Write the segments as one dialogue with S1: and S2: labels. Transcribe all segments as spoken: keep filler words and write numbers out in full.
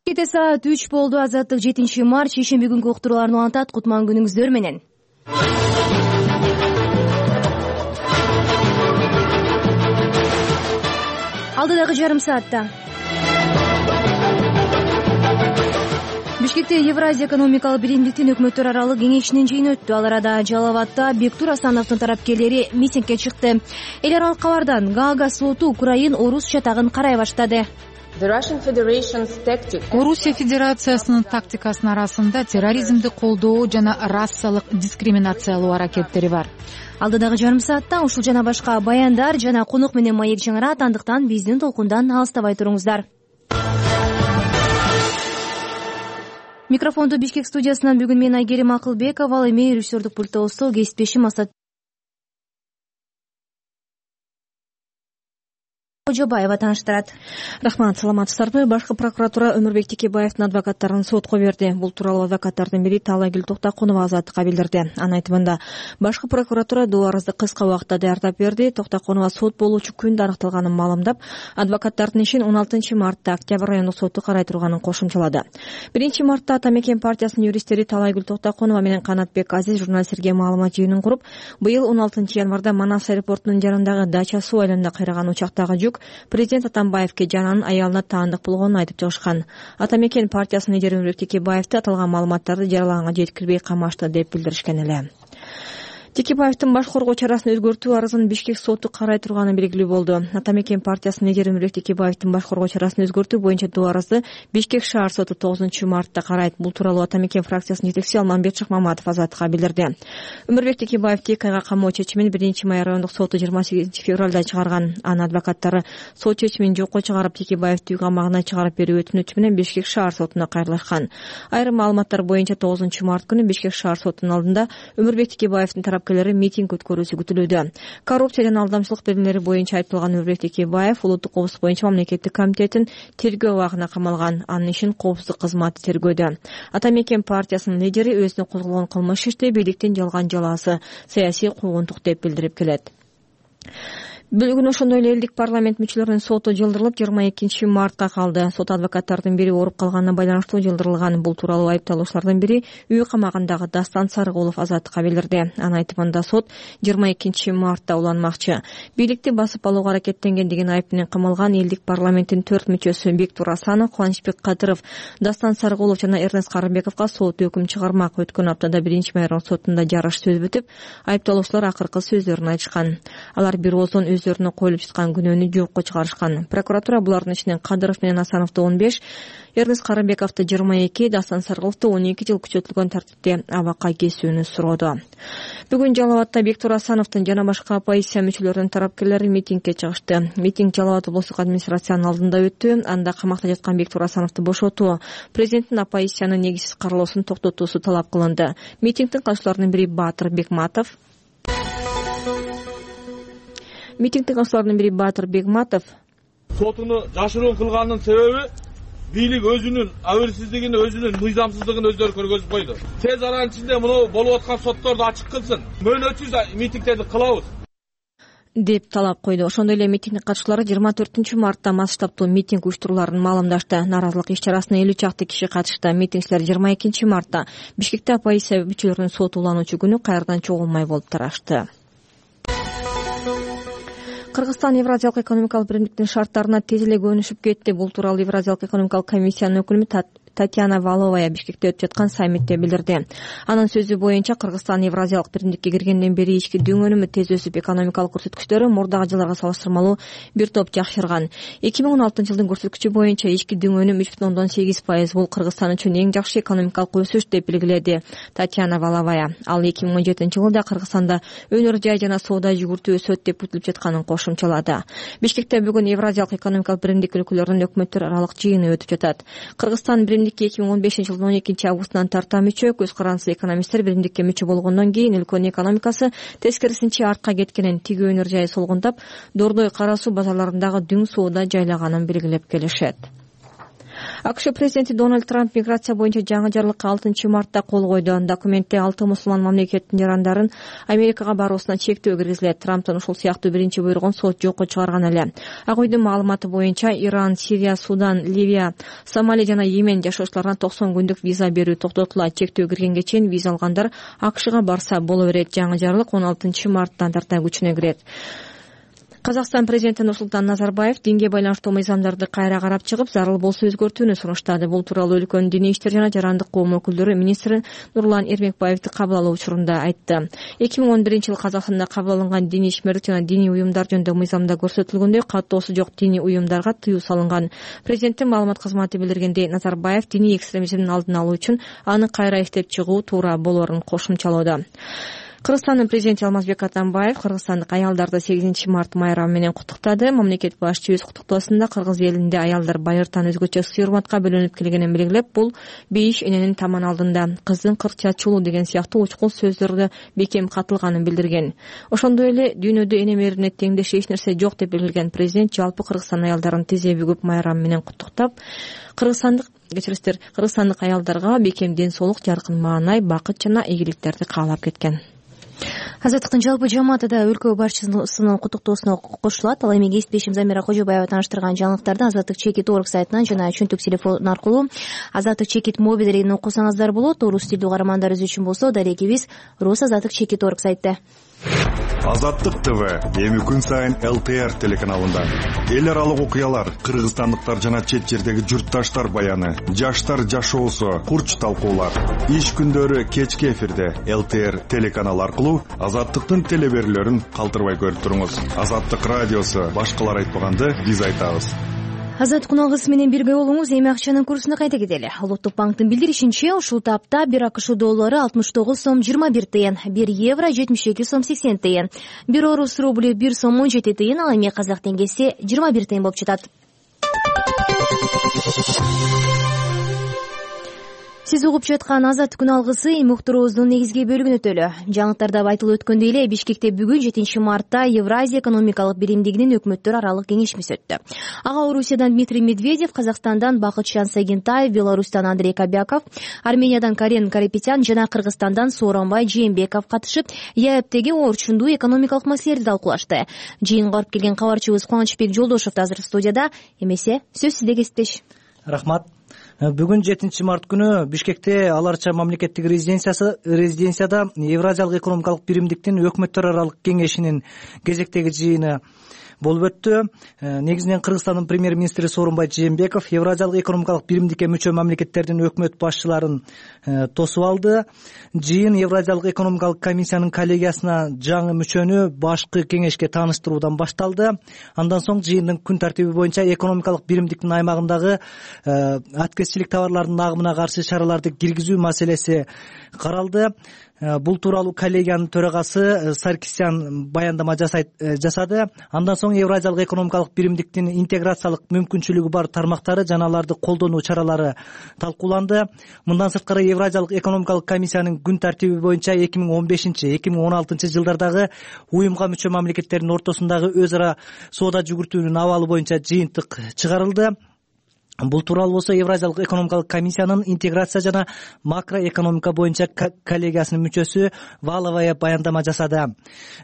S1: Кете саат үч болду. Азаттык жетинчи март шейшемби күнгү уктурууларды улантат. Кутман күнүңүздөр менен. Алдыдагы жарым саатта Бишкекте Евразия экономикалык биримдиктин өкмөттөр аралык кеңешинин жыйыны өттү. Ал арада Жалал Абадта Бектур Асановдун тарапкерлери митингге чыкты. Эл аралык кабардан Гаага соту Украин орус чатагын карай баштады.
S2: Орусия Федерациясынын тактикасынын арасында терроризмди колдоо жана расалык дискриминациялоо аракеттери бар.
S1: Алдыдагы жарым саатта ушул жана башка баяндар жана конок менен маек жаңырат, андыктан биздин толкундан алыстабай туруңуздар. Микрофонду Бишкек студиясынан бүгүн мен Айгерим Акылбекова, ал эми режиссердук пультта кесиптешим Асат Жобаева таныштырат.
S3: Рахмат, саламатсыздарбы? Башкы прокуратура Өмүрбек Текебаевдин адвокаттарын сотко берди. Бул тууралуу адвокаттардын бири Таалайгүл Токтоконова Азаттыкка билдирди. Анын айтымында, башкы прокуратура доо арызды кыска убакытта даярдап берди. Токтоконова сот болуучу күндү аныкталганын маалымдап, адвокаттардын ишин он алтынчы мартта Октябрь райондук соту карай турганын кошумчалады. биринчи мартта Ата Мекен партиясынын юристтери Таалайгүл Токтоконова менен Канатбек Азиз журналисттерге маалымат жыйынын куруп, быйыл он алтынчы январда Манас аэропортунун жанындагы Дача суу айылында кыйраган учактагы жүк президент Атамбаевке жананын аялына таандык болгонун айтып чыгышкан. Ата Мекен партиясынын лидери Өмүрбек Текебаевди аталган маалыматтарды жарыяланганга жеткирбей камашты деп билдиришкен эле. Текебаевдин баш коргоо чарасын өзгөртүү арызын Бишкек соту карай турганы белгилүү болду. Ата Мекен партиясынын лидери Өмүрбек Текебаевдин баш коргоо чарасын өзгөртүү боюнча доо арызды Бишкек шаар соту тогузунчу мартта карайт. Бул тууралуу Ата Мекен фракциясынын жетекчиси Алмамбет Шыкмаматов Азаттыкка билдирди. Өмүрбек Текебаевди эки айга камоо чечимин биринчи май райондук соту жыйырма сегизинчи февралда чыгарган. Анын адвокаттары сот чечимин жокко чыгарып, Текебаевди үй камагына чыгарып берүү өтүнүчү менен Бишкек шаар сотуна кайрылышкан. Айрым маалыматтар боюнча тогузунчу март күнү Бишкек шаар сотунун алдында Өмүрбек Текебаевдин тарапкерлери митинг өткөрүүсү күтүлүүдө. Коррупция жана алдамчылык берилери боюнча айыпталган Өмүрбек Текебаев улуттук коопсуздук боюнча мамлекеттик комитеттин тергөө абагына камалган. Анын ишин коопсуздук кызматы тергөөдө. Ата Мекен партиясынын лидери өзүнө козголгон кылмыш ишти бийликтин жалган жалаасы, саясий куугунтук деп билдирип келет. Бүгүн ошондой эле элдик парламент мүчөлөрүнүн соту жылдырылып жыйырма экинчи мартка калды. Сот адвокаттардын бири ооруп калганына байланыштуу жылдырылган. Бул тууралуу айыпталуучулардын бири үй камагындагы Дастан Сарыгулов Азаттыкка билдирди. Анын айтымында сот жыйырма экинчи мартта уланмакчы. Бийликти басып алууга аракеттенген деген айып менен камалган элдик парламенттин төрт мүчөсү Бектур Асанов, Кубанычбек Кадыров, Дастан Сарыгулов жана Эрнест Карымбековго сот өкүм чыгармак. Өткөн аптада биринчи май сотунда жарыш сөз бүтүп, айыпталуучулар акыркы сөздөрүн айтышкан. Алар бир ооздон өздөрүнө коюлуп жаткан күнөөнү жокко чыгарышкан. Прокуратура булардын ичинен Кадыров менен Асановду он беш, Эрнест Карымбековду жыйырма эки, Дастан Сарыгуловду он эки жыл күчөтүлгөн тартипте абакка кесүүнү суроодо. Бүгүн Жалал Абадта Бектур Асановдун жана башка оппозиция мүчөлөрүнүн тарапкерлери митингге чыгышты. Митинг Жалал Абад облустук администрациянын алдында өттү. Анда камакта жаткан Бектур Асановду бошотуу, президенттин оппозициянын негизсиз каралоосун токтотуусу талап кылынды. Митингдин катчыларынын бири Баатыр Бекматов Митингдин катчыларынын бири Баатыр Бекматов
S4: сотуну жашыруун кылганынын себеби бийлик өзүнүн абийирсиздигин, өзүнүн мыйзамсыздыгын өздөрү көргөзүп койду. Тез аранын ичинде муну болуп аткан сотторду ачык кылсын. Мөөнөтсүз митингдерди кылабыз
S3: деп талап койду. Ошондой эле митингдин катчылары жыйырма төртүнчү мартта масштабтуу митинг уюштурууларын маалымдашты. Нааразылык иш чарасына элүү чакты киши катышты. Митингчилер жыйырма экинчи мартта Бишкекте оппозиция мүчөлөрүнүн соту улануучу күнү кайрадан чогулмай болуп тарашты. Кыргызстан Евразиялык экономикалык биримдиктин шарттарына тез эле көнүшүп кетти. Бул тууралуу Евразиялык экономикалык комиссиянын өкүлү Татьяна Валовая Бишкекте өтүп жаткан саммитте билдирди. Анын сөзү боюнча Кыргызстан Евразиялык биримдикке киргенден бери ички дүң өнүмү тез өсүп, экономикалык көрсөткүчтөрү мурдагы жылдарга салыштырмалуу бир топ жакшырган. эки миң он алтынчы жылдын көрсөткүчү боюнча ички дүң өнүм үч бүтүн ондон сегиз пайыз. Бул Кыргызстан үчүн эң жакшы экономикалык өсүш деп белгиледи Татьяна Валовая. Ал эки миң он жетинчи жылда Кыргызстанда өнөр жай жана соода жүгүртүү өсөт деп күтүлүп жатканын кошумчалады. Бишкекте бүгүн Евразиялык экономикалык биримдик өлкөлөрүнүн өкмөттөр аралык жыйыны өтүп жатат. Кыргызстан биримдикке эки миң он бешинчи жылдын он экинчи августунан тарта мүчө. Көз карандысыз экономисттер биримдикке мүчө болгондон кийин өлкөнүн экономикасы тескерисинче артка кеткенин, тиги өнөр жайы солгундап, Дордой, Кара суу базарларындагы дүң соода жайлаганын белгилеп келишет. АКШ президенти Дональд Трамп миграция боюнча жаңы жарлыкка алтынчы мартта кол койду. Документте алты мусулман мамлекеттин жарандарын Америкага баруусуна чектөө киргизилет. Трамптын ушул сыяктуу биринчи буйругун сот жокко чыгарган эле. Ак үйдүн маалыматы боюнча Иран, Сирия, Судан, Ливия, Сомали жана Йемен жашоочуларына токсон күндүк виза берүү токтотулат. Чектөө киргенге чейин виза алгандар АКШга барса боло берет. Жаңы жарлык он алтынчы марттан тарта күчүнө кирет. Казакстан президенти Нурсултан Назарбаев динге байланыштуу мыйзамдарды кайра карап чыгып, зарыл болсо өзгөртүүнү сунуштады. Бул тууралуу өлкөнүн диний иштер жана жарандык коом өкүлдөрү министр Нурлан Эрмекбаевди кабыл алуу учурунда айтты. эки миң он биринчи жылы Казакстанда кабыл алынган диний ишмерлик жана диний уюмдар жөнүндө мыйзамда көрсөтүлгөндөй каттоосу жок диний уюмдарга тыюу салынган. Президенттин маалымат кызматы билдиргендей, Назарбаев диний экстремизмдин алдын алуу үчүн аны кайра иштеп чыгуу туура болоорун кошумчалоодо. Кыргызстандын президенти Алмазбек Атамбаев кыргызстандык аялдарды сегизинчи март майрамы менен куттуктады. Мамлекет башчы өз куттуктоосунда кыргыз элинде аялдар байыртан өзгөчө сый-урматка бөлөнүп келгенин белгилеп, бул бейиш эненин таман алдында кыздын кырк чачуулу деген сыяктуу учкул сөздөрдө бекем катылганын билдирген. Ошондой эле дүйнөдө эне мээрине теңдеш эч нерсе жок деп белгилеген президент жалпы Кыргызстан аялдарын тизе бүгүп майрамы менен куттуктап, кыргызстандык кечирисиздер кыргызстандык аялдарга бекем ден соолук, жаркын маанай, бакыт жана ийгиликтерди каалап кеткен.
S1: Азаттыктын жалпы жамааты да өлкө башчысынын куттуктоосуна кошулат. Ал эми кесиптешим Замира Кожобаева тааныштырган жаңылыктарды Азаттык чекит орг сайтынан жана чөнтүк телефон аркылуу Азаттык чекит мобилдерин окусаңыздар болот. Орус тилдүү каармандарыбыз үчүн болсо дарегибиз Рус Азаттык чекит орг сайтта.
S5: Азаттык ТВ эми күн сайын эл тэ эр телеканалында эл аралык окуялар, кыргызстандыктар жана чет жердеги журтташтар баяны, жаштар жашоосу, курч талкуулар. Иш күндөрү кечки эфирде эл тэ эр телеканалы аркылуу Азаттыктын телеберүүлөрүн калтырбай көрүп туруңуз. Азаттык радиосу башкалар айтпаганды биз айтабыз.
S1: Азат Куналгыс менен бирге болуңуз. Эми акчанын курсуна кайта кетели. Улуттук банктын билдиришинче, ушул тапта бир АКШ доллары алтымыш тогуз сом жыйырма бир тыйын, бир евро жетимиш эки сом сексен тыйын, бир орус рублю бир сом он жети тыйын, ал эми казак теңгеси жыйырма бир тыйын болуп жатат. Сиз угуп жаткан Азат күн алгысы эми уктуруубуздун негизги бөлүгүн өтөлү. Жаңылыктарда айтылып өткөндөй эле Бишкекте бүгүн жетинчи мартта Евразия экономикалык биримдигинин өкмөттөр аралык кеңешмеси өттү. Ага Орусиядан Дмитрий Медведев, Казакстандан Бакытжан Сагентаев, Беларустан Андрей Кобяков, Армениядан Карен Карапетян жана Кыргызстандан Сооронбай Жээнбеков катышып, ЕАЭБтеги орчундуу экономикалык маселелерди талкуулашты. Жыйынга барып келген кабарчыбыз Кубанычбек Жолдошев азыр студияда. Эмесе сөз сизде, кесиптеш.
S6: Рахмат. Бүгүн жетинчи март күнү Бишкекте Аларча мамлекеттик резиденциясы резиденцияда Евразиялык экономикалык биримдиктин өкмөттөр аралык кеңешинин кезектеги жыйыны болуп өттү. Негизинен Кыргызстандын премьер-министри Сооронбай Жээнбеков Евразиялык экономикалык биримдикке мүчө мамлекеттердин өкмөт башчыларын тосуп алды. Жыйын Евразиялык экономикалык комиссиянын коллегиясына жаңы мүчөнү башкы кеңешке тааныштыруудан башталды. Андан соң жыйындын күн тартиби боюнча экономикалык биримдиктин аймагындагы аткезчилик товарлардын агымына каршы чараларды киргизүү маселеси каралды. Бул тууралуу коллегиянын төрагасы Саркисян баяндама жасады. Андан соң Евразиялык экономикалык биримдиктин интеграциялык мүмкүнчүлүгү бар тармактары жана аларды колдонуу чаралары талкууланды. Мындан сырткары Евразиялык экономикалык комиссиянын күн тартиби боюнча эки миң он бешинчи эки миң он алтынчы жылдардагы уюмга мүчө мамлекеттердин ортосундагы өз ара соода жүгүртүүнүн абалы боюнча жыйынтык чыгарылды. Бул тууралуу болсо Евразиялык экономикалык комиссиянын интеграция жана макроэкономика боюнча коллегиясынын мүчөсү Валовая баяндама жасады.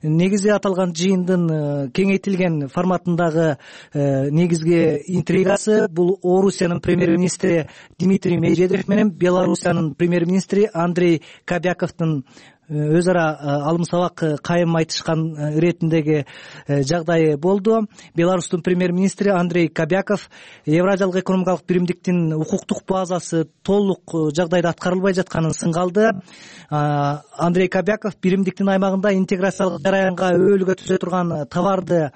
S6: Негизи аталган жыйындын кеңейтилген форматындагы негизги интригасы бул Орусиянын премьер-министри Дмитрий Медведев менен Беларусиянын премьер-министри Андрей Кобяковдун өз ара алым сабак кайым айтышкан иретиндеги жагдайы болду. Беларустун премьер-министри Андрей Кобяков Евразиялык экономикалык биримдиктин укуктук базасы толук жагдайда аткарылбай жатканын сынга алды. Андрей Кобяков биримдиктин аймагында интеграциялык жараянга өбөлгө түзө турган товарды,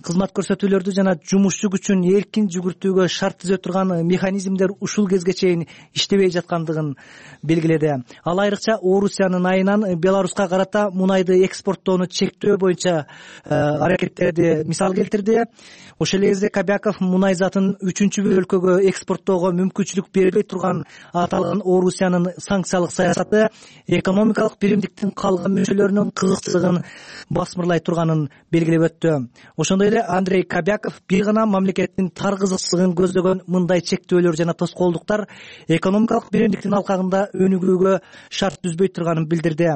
S6: кызмат көрсөтүүлөрдү жана жумушчу күчүн эркин жүгүртүүгө шарт түзө турган механизмдер ушул кезге чейин иштебей жаткандыгын белгиледи. Ал айрыкча Орусиянын айынан Беларуска карата мунайды экспорттоону чектөө боюнча аракеттерди мисал келтирди. Ошол эле кезде Кобяков мунай затын үчүнчү бир өлкөгө экспорттоого мүмкүнчүлүк бербей турган аталган Орусиянын санкциялык саясаты экономикалык биримдиктин калган мүчөлөрүнүн кызыкчылыгын басмырлай турганын белгилеп өттү. Ошондой эле эле Андрей Кобяков бир гана мамлекеттин тар кызыкчылыгын көздөгөн мындай чектөөлөр жана тоскоолдуктар экономикалык биримдиктин алкагында өнүгүүгө шарт түзбөй турганын билдирди.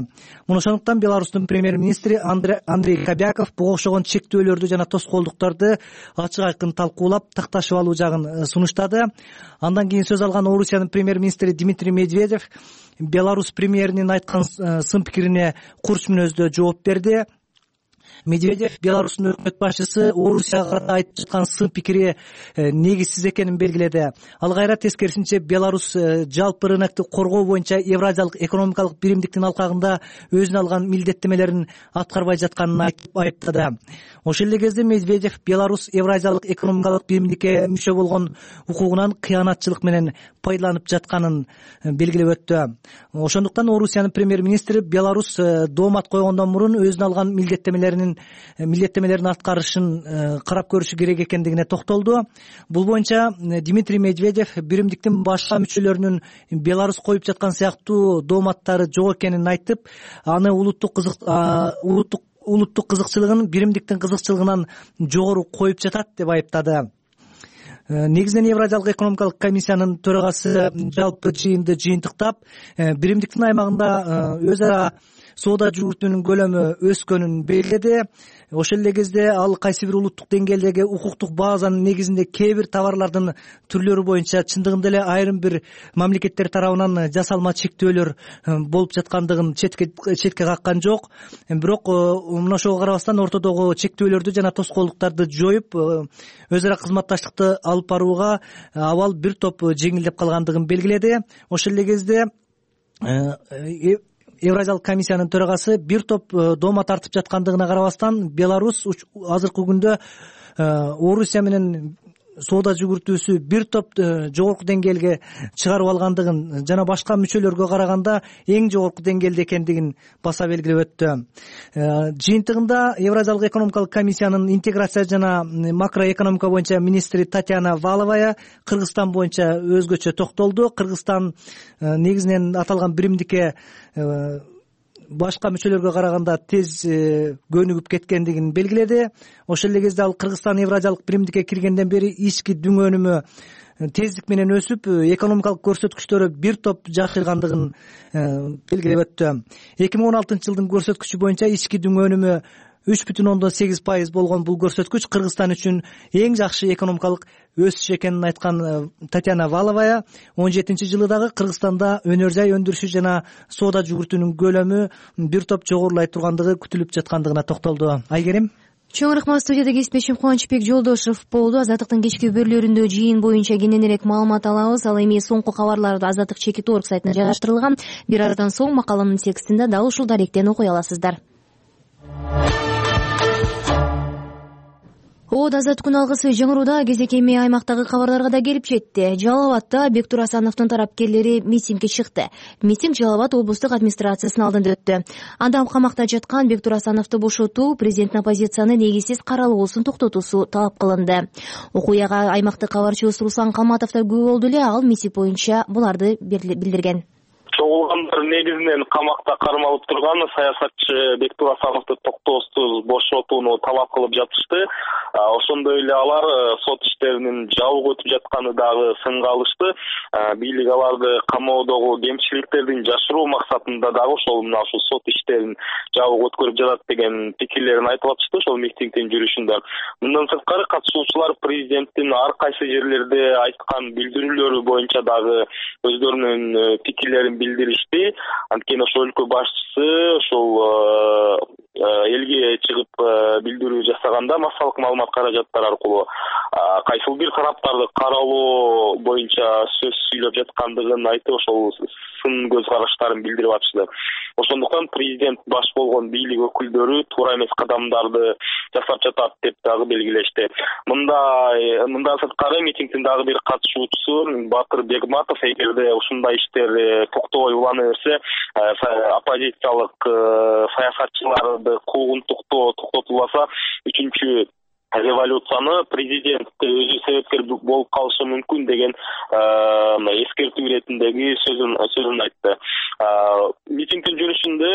S6: Муну ошондуктан Беларустун премьер-министри Андрей Кобяков буга окшогон чектөөлөрдү жана тоскоолдуктарды ачык айкын талкуулап такташып алуу жагын сунуштады. Андан кийин сөз алган Орусиянын премьер-министри Дмитрий Медведев Беларусь премьеринин айткан сын пикирине курч мүнөздө жооп берди. Медведев Беларустун өкмөт башчысы Орусияга айтып жаткан сын пикири негизсиз экенин белгиледи. Ал кайра тескерисинче Беларусь жалпы рынокты коргоо боюнча Евразиялык экономикалык биримдиктин алкагында өзүнө алган милдеттемелерин аткарбай жатканын айтып айыптады. Ошол эле кезде Медведев Беларусь Евразиялык экономикалык биримдикке мүчө болгон укугунан кыянатчылык менен пайдаланып жатканын белгилеп өттү. Ошондуктан Орусиянын премьер-министри Беларусь доомат койгондон мурун өзүнө алган милдеттемелерин милдеттемелерин аткарышын карап көрүшү керек экендигине токтолду. Бул боюнча Дмитрий Медведев биримдиктин башка мүчөлөрүнүн Беларусь коюп жаткан сыяктуу дооматтары жок экенин айтып, аны улуттук кызык улуттук улуттук кызыкчылыгын биримдиктин кызыкчылыгынан жогору коюп жатат деп айыптады. Негизинен Евразиялык экономикалык комиссиянын төрагасы жалпы жыйынды жыйынтыктап, биримдиктин аймагында өз ара соода жүгүртүүнүн көлөмү өскөнүн белгиледи. Ошол эле кезде ал кайсы бир улуттук деңгээлдеги укуктук базанын негизинде кээ бир товарлардын түрлөрү боюнча чындыгында эле айрым бир мамлекеттер тарабынан жасалма чектөөлөр болуп жаткандыгын четке четке каккан жок. Бирок мына ошого карабастан ортодогу чектөөлөрдү жана тоскоолдуктарды жоюп, өз ара кызматташтыкты алып барууга абал бир топ жеңилдеп калгандыгын белгиледи. Ошол эле кезде Евразиялык комиссиянын төрагасы бир топ доомат тартып жаткандыгына карабастан Беларусь азыркы күндө Орусия менен соода жүгүртүүсү бир топ жогорку деңгээлге чыгарып алгандыгын жана башка мүчөлөргө караганда эң жогорку деңгээлде экендигин баса белгилеп өттү. Жыйынтыгында Евразиялык экономикалык комиссиянын интеграция жана макроэкономика боюнча министри Татьяна Валовая Кыргызстан боюнча өзгөчө токтолду. Кыргызстан негизинен аталган биримдикке башка мүчөлөргө караганда тез көнүгүп кеткендигин белгиледи. Ошол эле кезде ал Кыргызстан Евразиялык биримдикке киргенден бери ички дүң өнүмү тездик менен өсүп, экономикалык көрсөткүчтөрү бир топ жакшыргандыгын белгилеп өттү. эки миң он алтынчы жылдын көрсөткүчү боюнча ички дүң өнүмү үч бүтүн ондон сегиз пайыз болгон бул көрсөткүч Кыргызстан үчүн эң жакшы экономикалык өсүш экенин айткан Татьяна Валовая он жетинчи жылы дагы Кыргызстанда өнөр жай өндүрүшү жана соода жүгүртүүнүн көлөмү бир топ жогорулай тургандыгы күтүлүп жаткандыгына токтолду. Айгерим.
S1: Чоң рахмат. Студияда кесипдешим Кубанычбек Жолдошев болду. Азаттыктын кечки берүүлөрүндө жыйын боюнча кененирээк маалымат алабыз. Ал эми соңку кабарларды Азаттык чекит орг сайтына жайгаштырылган. Бир арадан соң макаламдын текстинде дал ушул даректен окуй аласыздар. Од азат күн алгысы жаңырууда кезек эми аймактагы кабарларга да келип жетти. Жалал абадда Бектур Асановдун тарапкерлери митингге чыкты. Митинг Жалал абад облустук администрациясынын алдында өттү. Анда камакта жаткан Бектур Асановду бошотуу, президенттин оппозицияны негизсиз каралуусун токтотуусу талап кылынды. Окуяга аймактык кабарчыбыз Руслан Калматов да күбө болду эле. Ал митинг боюнча буларды билдирген.
S7: Чогулгандар негизинен камакта кармалып турган саясатчы Бектур Асановду токтоосуз бошотууну талап кылып жатышты. Ошондой эле алар сот иштеринин жабык өтүп жатканы дагы сынга алышты. Бийлик аларды камоодогу кемчиликтердин жашыруу максатында дагы ошол мына ушул сот иштерин жабык өткөрүп жатат деген пикирлерин айтып атышты ошол митингдин жүрүшүндө. Мындан сырткары катышуучулар президенттин ар кайсы жерлерде айткан билдирүүлөрү боюнча дагы өздөрүнүн пикирлерин билдиришти. Анткени ошол өлкө башчысы ошол элге чыгып билдирүү жасаганда массалык маалымат каражаттары аркылуу кайсыл бир тараптарды каралоо боюнча сөз сүйлөп жаткандыгын айтып, ошол сын көз караштарын билдирип атышты. Ошондуктан президент баш болгон бийлик өкүлдөрү туура эмес кадамдарды жасап жатат деп дагы белгилешти. Мында мындан сырткары митингдин дагы бир катышуучусу Батыр Бегматов эгерде ушундай иштер токтобой улана берсе, оппозициялык саясатчыларды куугунтуктоо токтотулбаса, үчүнчү революцияны президент өзү себепкер болуп калышы мүмкүн деген эскертүү иретиндеги сөзүн сөзүн айтты. Митингдин жүрүшүндө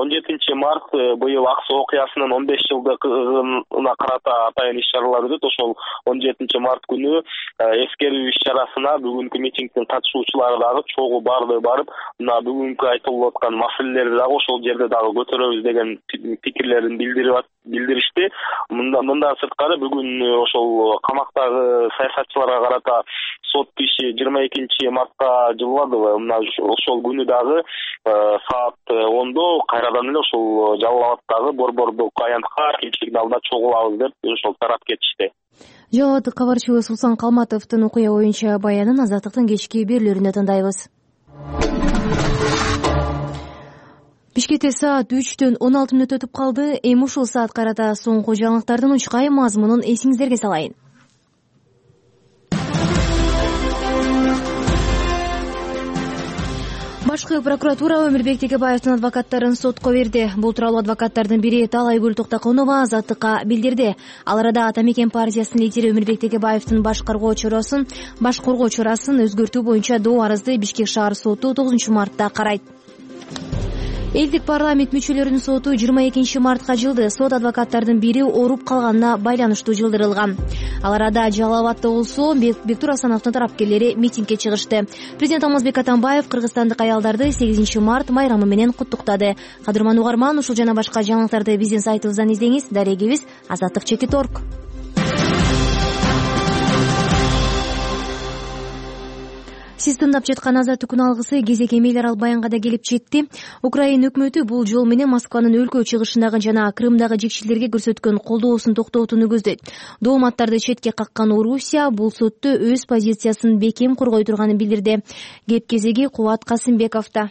S7: он жетинчи март быйыл Ак Суу окуясынын он беш жылдыгына карата атайын иш-чаралар өтөт. Ошол он жетинчи март күнү эскерүү иш-чарасына бүгүнкү митингдин катышуучулары дагы чогуу барды барып, мына бүгүнкү айтылып аткан маселелерди дагы ошол жерде дагы көтөрөбүз деген пикирлерин билдирип билдиришти. Мындан сырткары бүгүн ошол камактагы саясатчыларга карата сот иши жыйырма экинчи мартка жылынады. Мына ошол күнү дагы саат ондо кайрадан эле ошол Жалал Абаддагы борбордук аянтка кечиликтин алдында чогулабыз деп ошол тарап кетишти.
S1: Жалал Абад кабарчыбыз Усман Калматовдун окуя боюнча баянын Азаттыктын кечки берүүлөрүндө тандайбыз. Бишкекте саат үчтөн он алты мүнөт өтүп калды. Эми ушул саат карата соңку жаңылыктардын учкай мазмунун эсиңиздерге салайын. Башкы прокуратура Өмүрбек Текебаевдин адвокаттарын сотко берди. Бул тууралуу адвокаттардын бири Талайгүл Токтоконова Азаттыкка билдирди. Ал арада Ата Мекен партиясынын лидери Өмүрбек Текебаевдин башкаргоо чарасын, башкаргоо чарасын өзгөртүү боюнча доо арызды Бишкек шаар соту тогузунчу мартта карайт. Элдик парламент мүчөлөрүнүн соту жыйырма экинчи мартка жылды. Сот адвокаттардын бири ооруп калганына байланыштуу жылдырылган. Ал арада Жалал Абадда болсо Бектур Асановдун тарапкерлери митингге чыгышты. Президент Алмазбек Атамбаев кыргызстандык аялдарды сегизинчи март майрамы менен куттуктады. Кадырман угарман, ушул жана башка жаңылыктарды биздин сайтыбыздан издеңиз. Дарегибиз азаттык чеки точка орг. Сиз тыңдап жаткан Азаттык күн алгысы кезек эмейлер ал баянга да келип жетти. Украина өкмөтү бул жол менен Москванын өлкө чыгышындагы жана Крымдагы жекчилерге көрсөткөн колдоосун токтотууну көздөйт. Дооматтарды четке каккан Орусия бул сотто өз позициясын бекем коргой турганын билдирди. Кеп кезеги Кубат Касымбековдо.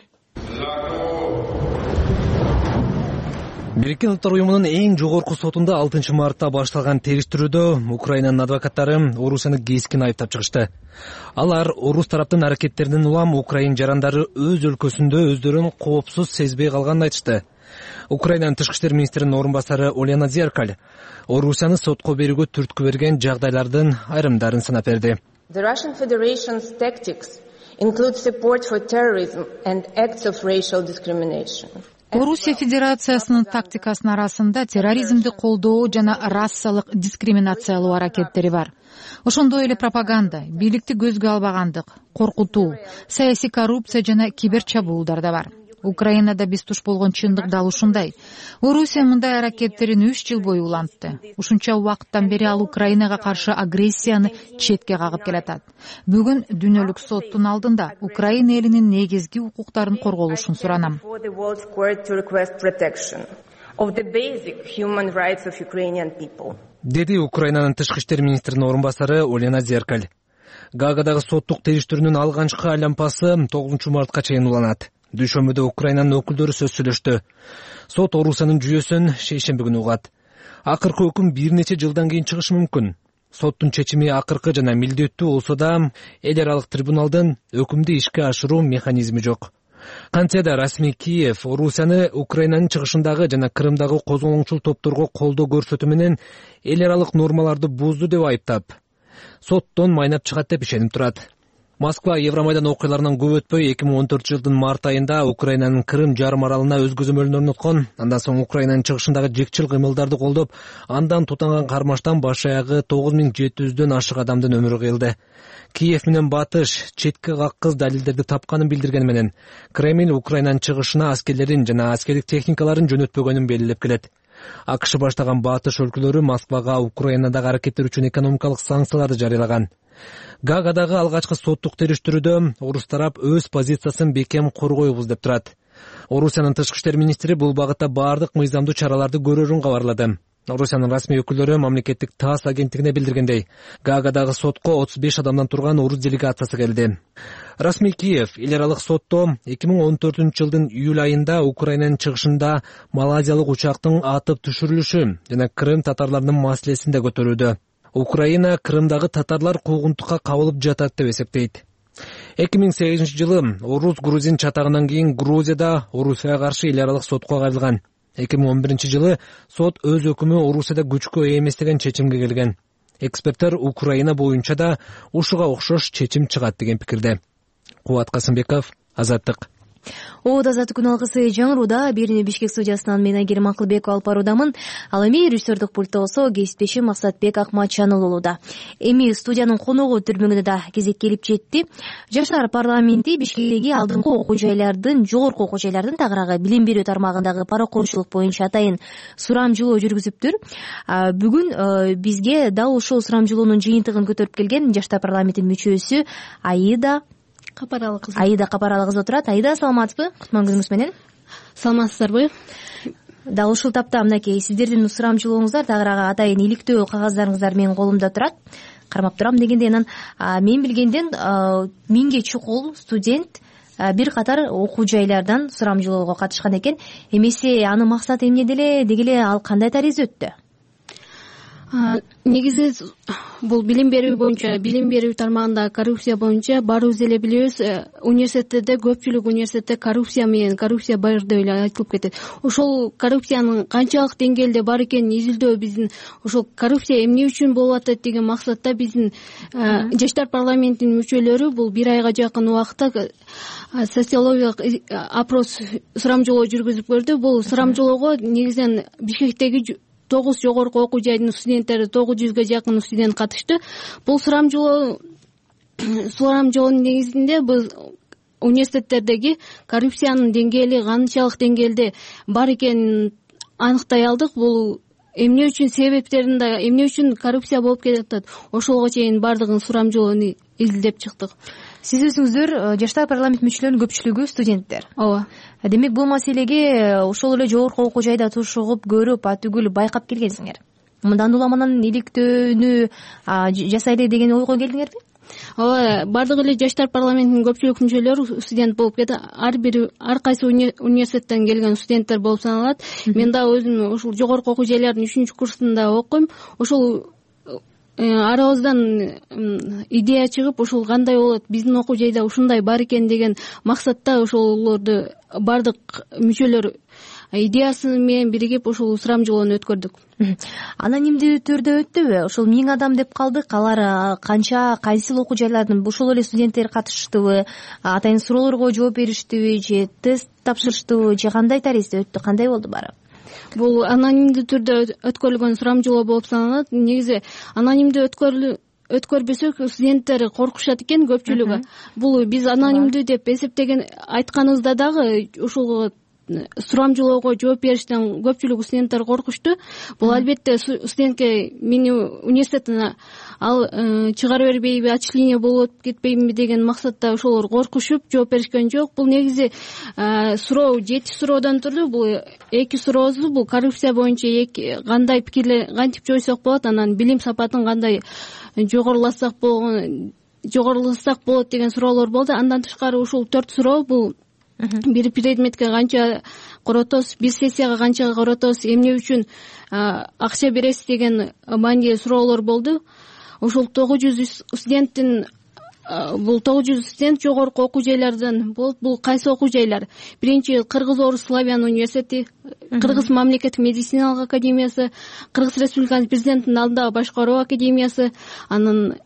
S8: Бириккен Улуттар уюмунун эң жогорку сотунда алтынчы мартта башталган териштирүүдө Украинанын адвокаттары Орусияны кескин айыптап чыгышты. Алар орус тараптын аракеттеринен улам Украин жарандары өз өлкөсүндө өздөрүн коопсуз сезбей калганын айтышты. Украинанын тышкы иштер министринин орун басары Олена Зеркаль Орусияны сотко берүүгө түрткү берген жагдайлардын айрымдарын санап берди.
S9: The Russian Federation's tactics include support for terrorism and acts of racial discrimination.
S2: Орусия Федерациясынын тактикасынын арасында терроризмди колдоо жана расалык дискриминациялоо аракеттери бар. Ошондой эле пропаганда, бийликти көзгө албагандык, коркутуу, саясий коррупция жана киберчабуулдар да бар. Украинада биз туш болгон чындык дал ушундай. Орусия мындай аракеттерин үч жыл бою улантты. Ушунча убакыттан бери ал Украинага каршы агрессияны четке кагып келатат. Бүгүн дүйнөлүк соттун алдында Украина элинин негизги укуктарын корголушун суранам.
S8: Деди Украинанын тышкы иштер министринин орун басары Олена Зеркаль. Гаагадагы соттук териштирүүнүн алгачкы айлампасы тогузунчу мартка чейин уланат. Дүйшөмбүдө Украинанын өкүлдөрү сөз сүйлөштү. Сот Орусиянын жүйөсүн шейшемби күнү угат. Акыркы өкүм бир нече жылдан кийин чыгышы мүмкүн. Соттун чечими акыркы жана милдеттүү болсо да, эл аралык трибуналдын өкүмдү ишке ашыруу механизми жок. Кантсе да расмий Киев Орусияны Украинанын чыгышындагы жана Крымдагы козголоңчул топторго колдоо көрсөтүү менен эл аралык нормаларды бузду деп айыптап, соттон майнап чыгат деп ишенип турат. Москва Евромайдан окуяларынан көп өтпөй эки миң он төртүнчү жылдын март айында Украинанын Крым жарым аралына өз көзөмөлүн орноткон. Андан соң Украинанын чыгышындагы жекчил кыймылдарды колдоп, андан тутанган кармаштан баш аягы тогуз миң жети жүздөн ашык адамдын өмүрү кыйылды. Киев менен Батыш четке каккыз далилдерди тапканын билдиргени менен Кремль Украинанын чыгышына аскерлерин жана аскердик техникаларын жөнөтпөгөнүн белгилеп келет. АКШ баштаган Батыш өлкөлөрү Москвага Украинадагы аракеттер үчүн экономикалык санкцияларды жарыялаган. Гаагадагы алгачкы соттук териштирүүдө орус тарап өз позициясын бекем коргойбуз деп турат. Орусиянын тышкы иштер министри бул багытта баардык мыйзамдуу чараларды көрөрүн кабарлады. Орусиянын расмий өкүлдөрү мамлекеттик ТАСС агенттигине билдиргендей, Гаагадагы сотко отуз беш адамдан турган орус делегациясы келди. Расмий Киев эл аралык сотто эки миң он төртүнчү жылдын июль айында Украинанын чыгышында малайзиялык учактын атып түшүрүлүшү жана Крым татарларынын маселесин да көтөрүүдө. Украина Крымдагы татарлар куугунтукка кабылып жатат деп эсептейт. эки миң сегизинчи жылы орус грузин чатагынан кийин Грузияда Орусияга каршы эл аралык сотко кайрылган. эки миң он биринчи жылы сот өз өкүмү Орусияда күчкө ээ эмес деген чечимге келген. Эксперттер Украина боюнча да ушуга окшош чечим чыгат деген пикирде. Кубат Касымбеков, Азаттык.
S1: Оот азаттык күн алгысы жаңырууда. Бирини Бишкек студиясынан мен Айгерим Акылбеков алып баруудамын. Ал эми режиссердик пультта болсо кесиптешим Максатбек Акматчаныл болууда. Эми студиянын коногу түрмөгүнө да кезек келип жетти. Жаштар парламенти Бишкектеги алдыңкы окуу жайлардын, жогорку окуу жайлардын тагыраагы билим берүү тармагындагы паракорчулук боюнча атайын сурамжылоо жүргүзүптүр. Бүгүн бизге дал ушул сурамжылоонун жыйынтыгын көтөрүп келген жаштар парламентинин мүчөсү Аида Капаралы кызы. Аида Капаралы кызы отурат. Аида, саламатсызбы? Кутман күнүңүз менен.
S10: Саламатсыздарбы?
S1: Дал ушул тапта мынакей сиздердин сурамжылооңуздар тагыраагы атайын иликтөө кагаздарыңыздар менин колумда турат. Кармап турам дегенде анан мен билгенден миңге чукул студент бир катар окуу жайлардан сурамжылоого катышкан экен. Эмесе анын максаты эмне деле, деги эле ал кандай таризде өттү?
S10: Негизи бул билим берүү боюнча, билим берүү тармагында коррупция боюнча баарыбыз эле билебиз, университеттерде көпчүлүк университетте коррупция менен коррупция бар деп эле айтылып кетет. Ошол коррупциянын канчалык деңгээлде бар экенин изилдөө биздин ошол коррупция эмне үчүн болуп атат деген максатта биздин жаштар парламентинин мүчөлөрү бул бир айга жакын убакытта социологиялык опрос сурамжылоо жүргүзүп көрдү. Бул сурамжылоого негизинен Бишкектеги тогуз жогорку окуу жайдын студенттери тогуз жүзгө жакын студент катышты. Бул сурамжылоо сурамжылоонун негизинде биз университеттердеги коррупциянын деңгээли канчалык деңгээлде бар экенин аныктай алдык. Бул эмне үчүн себептерин да, эмне үчүн коррупция болуп кетат, ошолго чейин баардыгын сурамжылоону изилдеп чыктык.
S1: Сиз өзүңүздөр жаштар парламент мүчөлөрүнүн көпчүлүгү студенттер.
S10: Ооба.
S1: Демек бул маселеге ошол эле жогорку окуу жайда тушугуп көрүп, атүгүл байкап келгенсиңер. Мындан улам анан иликтөөнү жасайлы деген ойго келдиңерби?
S10: Ооба, баардык эле жаштар парламентинин көпчүлүк мүчөлөрү студент болуп кетти. Ар бир ар кайсы университеттен келген студенттер болуп саналат. Мен да өзүм ушул жогорку окуу жайлардын үчүнчү курсунда окуйм. Ошол арабыздан идея чыгып, ушул кандай болот, биздин окуу жайда ушундай бар экен деген максатта ошолорду баардык мүчөлөр идеясы менен биригип ушул сурамжылоону өткөрдүк.
S1: Анонимдүү түрдө өттүбү? Ошол миң адам деп калдык. Алар канча, кайсы окуу жайлардын ошол эле студенттер катыштыбы? Атайын суроолорго жооп бериштиби же тест тапшырыштыбы же кандай таризде өттү? Кандай болду баары?
S10: Бул анонимдүү түрдө өткөрүлгөн сурамжылоо болуп саналат. Негизи анонимдүү өткөрбөсөк студенттер коркушат экен көпчүлүгү. Бул биз анонимдүү деп эсептеген айтканыбызда дагы ушул сурамжылоого жооп бериштен көпчүлүк студенттер коркушту. Бул албетте студентке мени университеттен ал чыгара бербейби, отчисление болуп кетпейбиби деген максатта ошолор коркушуп жооп беришкен жок. Бул негизи суроо жети суроодон турду. Бул эки суроосу бул коррупция боюнча кандай пикирлер, кантип жойсок болот, анан билим сапатын кандай жогорулатсак болгон жогорулатсак болот деген суроолор болду. Андан тышкары ушул төрт суроо бул бир предметке канча коротосуз, бир сессияга канча коротосуз, эмне үчүн акча бересиз деген маанилүү суроолор болду. Ошол тогуз жүз студенттин бул тогуз жүз студент жогорку окуу жайлардан болуп, бул кайсы окуу жайлар? Биринчи Кыргыз Орус Славян университети, Кыргыз мамлекеттик медициналык академиясы, Кыргыз Республикасынын президентинин алдындагы башкаруу академиясы, анан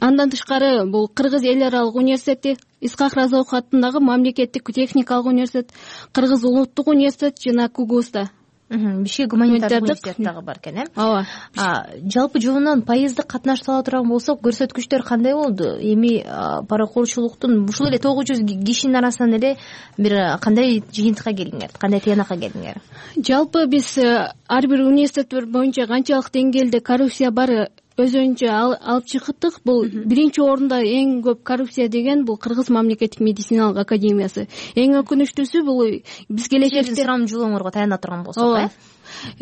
S10: андан тышкары бул Кыргыз эл аралык университети, Исхак Разоев атындагы мамлекеттик техникалык университет, Кыргыз улуттук университет жана КУГУСта.
S1: Бишкек гуманитардык университет дагы бар экен, э?
S10: Ооба.
S1: Жалпы жылынан пайыздык катнашып ала турган болсок, көрсөткүчтөр кандай болду? Эми паракорчулуктун ушул эле тогуз жүз кишинин арасынан эле бир кандай жыйынтыкка келдиңер, кандай тыянакка келдиңер?
S10: Жалпы биз ар бир университеттер боюнча канчалык деңгээлде коррупция бар өзүнчө алып чыктык. Бул биринчи орунда эң көп коррупция деген бул Кыргыз мамлекеттик медициналык академиясы. Эң өкүнүчтүүсү бул биз келечекте
S1: сурамжылооңорго таяна турган болсок, э?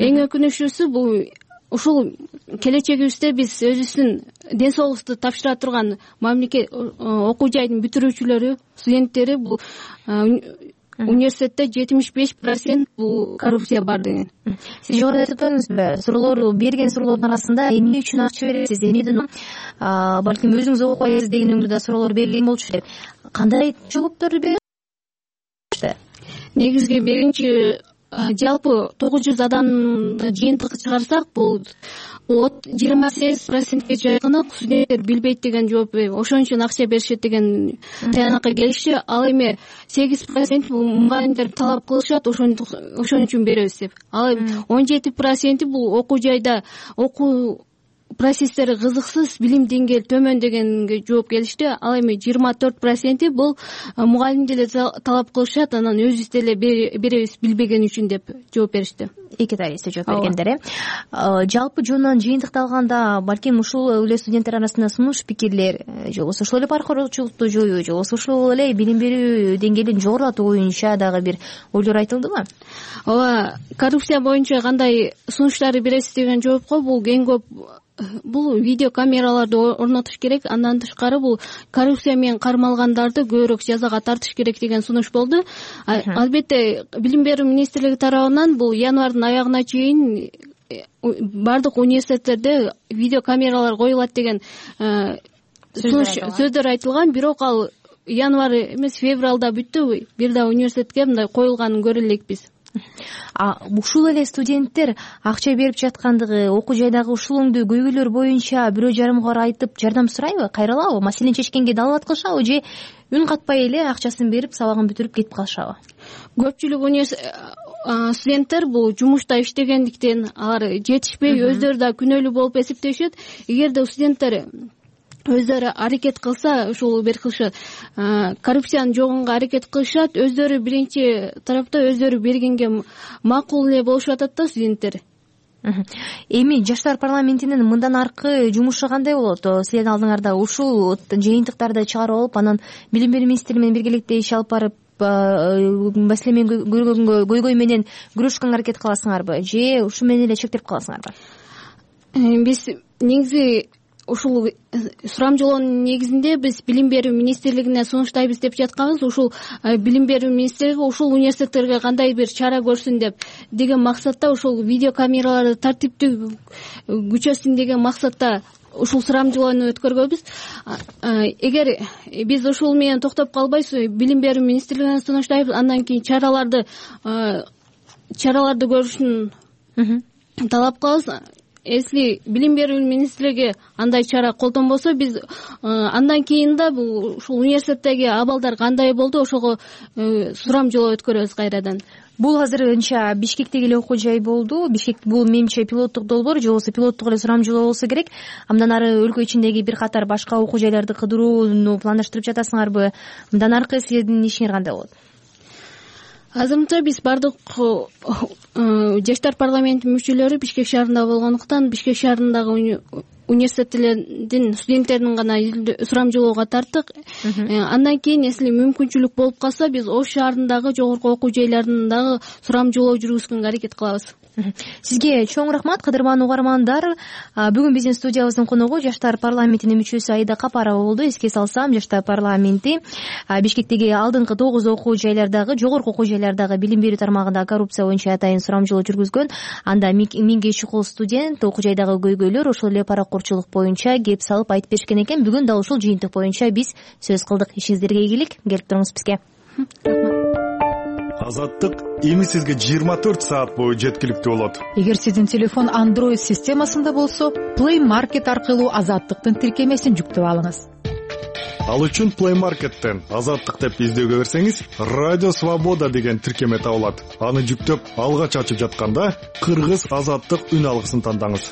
S10: Эң өкүнүчтүүсү бул ушул келечегибизде биз өзүбүздүн ден соолукту тапшыра турган мамлекет окуу жайдын бүтүрүүчүлөрү, студенттери бул университетте жетимиш беш процент бул коррупция бар деген.
S1: Сиз жогоруда айтып өттүңүзбү? Суроолор берген суроолордун арасында эмне үчүн акча бересиз, эмнеден балким өзүңүз окуйсуз деген өңдө да суроолор берилген болчу деп. Кандай жоопторду бердиңиз?
S10: Негизги биринчи жалпы тогуз жүз адамды жыйынтык чыгарсак, бул жыйырма сегиз процентке жакыны студенттер билбейт деген жооп, ошон үчүн акча беришет деген таянакка келишти. Ал эми сегиз процент бул мугалимдер талап кылышат, ошон үчүн беребиз деп. Ал эми он жети проценти бул окуу жайда окуу процесстери кызыксыз, билим деңгээли төмөн дегенге жооп келишти. Ал эми жыйырма төрт проценти бул мугалимдер деле талап кылышат, анан өзүбүз деле беребиз билбеген үчүн деп жооп беришти.
S1: Эки тарихте жооп бергендер. Э жалпы жонунан жыйынтыкты алганда, балким ушул эле студенттер арасында сунуш пикирлер, же болбосо ошол эле паркорчулукту жоюу, же болбосо ушул эле билим берүү деңгээлин жогорулатуу боюнча дагы бир ойлор айтылдыбы?
S10: Ооба, коррупция боюнча кандай сунуштарды бересиз деген жоопко бул эң көп бул видео камераларды орнотуш керек, андан тышкары бул коррупция менен кармалгандарды көбүрөөк жазага тартыш керек деген сунуш болду. Албетте, билим берүү министрлиги тарабынан бул январдын аягына чейин бардык университеттерде видео камералар коюлат деген сөздөр айтылган, бирок ал январь эмес, февралда бүттү. Бир да университетке мындай коюлганын көрө элекпиз.
S1: А ушул эле студенттер акча берип жаткандыгы, окуу жайдагы ушулуңдуу көйгөйлөр боюнча бирөө жарымга барып айтып жардам сурайбы, кайрылабы, маселени чечкенге далбат кылышабы, же үн катпай эле акчасын берип сабагын бүтүрүп кетип калышабы?
S10: Көпчүлүк университет студенттер бул жумушта иштегендиктен алар жетишпей, өздөрү да күнөөлүү болуп эсептешет. Эгерде студенттер өздөрү аракет кылса, ушул бир кылышат, коррупцияны жогонго аракет кылышат, өздөрү биринчи тарапта өздөрү бергенге макул эле болушуп атат да студенттер.
S1: Эми жаштар парламентинин мындан аркы жумушу кандай болот? Силердин алдыңарда ушул жыйынтыктарды чыгарып алып, анан билим берүү министри менен биргеликте иш алып барып, маселе менен көргөнгө көйгөй менен күрөшкөнгө аракет кыласыңарбы, же ушу менен эле чектелип каласыңарбы?
S10: Биз негизи ушул сурамжылоонун негизинде биз билим берүү министрлигине сунуштайбыз деп жатканбыз. Ушул билим берүү министрлиги ушул университеттерге кандай бир чара көрсүн деп деген максатта, ушул видео камераларды тартиптүү күчөсүн деген максатта ушул сурамжылоону өткөргөнбүз. Эгер биз ушул менен токтоп калбайбыз, билим берүү министрлигине сунуштайбыз, андан кийин чараларды чараларды көрүшүн талап кылабыз. Если билим берүү министрлиги андай чара колдонбосо, биз андан кийин да бул ушул университеттеги абалдар кандай болду, ошого сурамжылоо өткөрөбүз кайрадан.
S1: Бул азырынча Бишкектеги эле окуу жай болду. Бишкек бул менимче пилоттук долбоор, же болбосо пилоттук эле сурамжылоо болсо керек. Мындан ары өлкө ичиндеги бир катар башка окуу жайларды кыдырууну пландаштырып жатасыңарбы? Мындан аркы силердин ишиңер кандай болот?
S10: Азырынча биз бардык жаштар парламенти мүчөлөрү Бишкек шаарында болгондуктан, Бишкек шаарындагы университеттердин студенттерин гана сурамжылоого тарттык. Андан кийин, если мүмкүнчүлүк болуп калса, биз Ош шаарындагы жогорку окуу жайларында дагы сурамжылоо жүргүзгөнгө аракет кылабыз.
S1: Сизге чоң рахмат, кадырман угармандар. Бүгүн биздин студиябыздын коногу жаштар парламентинин мүчөсү Аида Капарова болду. Эске салсам, жаштар парламенти Бишкектеги алдыңкы тогуз окуу жайлардагы, жогорку окуу жайлардагы билим берүү тармагында коррупция боюнча атайын сурамжылоо жүргүзгөн. Анда миңге чукул студент окуу жайдагы көйгөйлөр, ошол эле паракорчулук боюнча кеп салып айтып беришкен экен. Бүгүн да ушул жыйынтык боюнча биз сөз кылдык. Ишиңиздерге ийгилик, келип туруңуз бизге.
S5: Азаттык эми сизге жыйырма төрт саат бою жеткиликтүү болот.
S2: Эгер сиздин телефон Android системасында болсо, Play Market аркылуу Азаттыктын тиркемесин жүктөп алыңыз.
S5: Ал үчүн Play Market'тен Азаттык деп издөөгө берсеңиз, Радио Свобода деген тиркеме табылат. Аны жүктөп, алгач ачып жатканда Кыргыз Азаттык үн алгысын тандаңыз.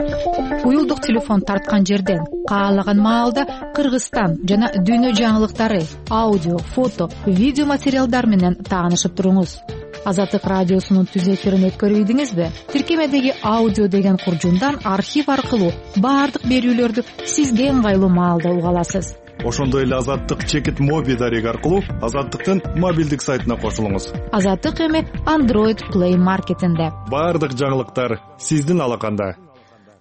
S2: Уюлдук телефон тарткан жерден каалаган маалда Кыргызстан жана дүйнө жаңылыктары, аудио, фото, видео материалдар менен таанышып туруңуз. Азаттык радиосунун түз эфирин өткөрүйдүңүзбү? Тиркемедеги аудио деген куржундан архив аркылуу баардык берүүлөрдү сизге ыңгайлуу маалда уга аласыз.
S5: Ошондой эле Азаттык чекит моби дареги аркылуу Азаттыктын мобилдик сайтына кошулуңуз.
S2: Азаттык эми Android Play Market'инде.
S5: Баардык жаңылыктар сиздин алаканда.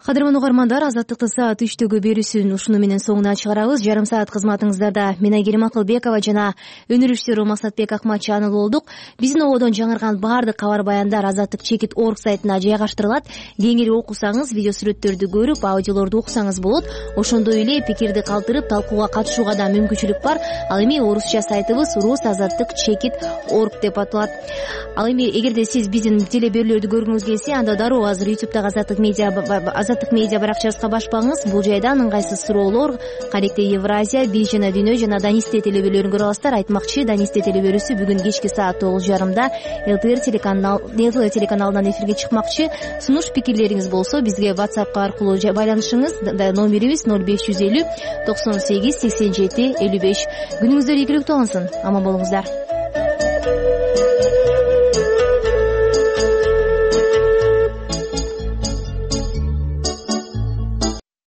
S1: Кадырман угармандар, Азаттыктын саат үчтөгү берүүсүн ушуну менен соңуна чыгарабыз. Жарым саат кызматыңыздарда мен Айгерим Акылбекова жана өнөр иштери Максатбек Акматчанов болдук. Биздин ободон жаңырган баардык кабар баяндар Азаттык чекит орг сайтына жайгаштырылат. Кеңири окусаңыз, видео сүрөттөрдү көрүп, аудиолорду уксаңыз болот. Ошондой эле пикирди калтырып, талкууга катышууга да мүмкүнчүлүк бар. Ал эми орусча сайтыбыз рус азаттык чекит орг деп аталат. Ал эми эгерде сиз биздин телеберүүлөрдү көргүңүз келсе, анда дароо азыр ютубтагы Азаттык медиа Азаттык медиа баракчабызга башпаңыз. Бул жайдан ыңгайсыз суроолор, кадекте Евразия, Биз жана Дүйнө жана Данисте телеберүүлөрүн көрө аласыздар. Айтмакчы, Данисте телеберүүсү бүгүн кечки саат тогуз жарымда ЛТР телеканал ЛТР телеканалынан эфирге чыкмакчы. Сунуш пикирлериңиз болсо бизге WhatsApp аркылуу байланышыңыз. Номерибиз ноль беш жүз элүү токсон сегиз сексен жети элүү беш. Күнүңүздөр ийгиликтүү алынсын. Аман болуңуздар.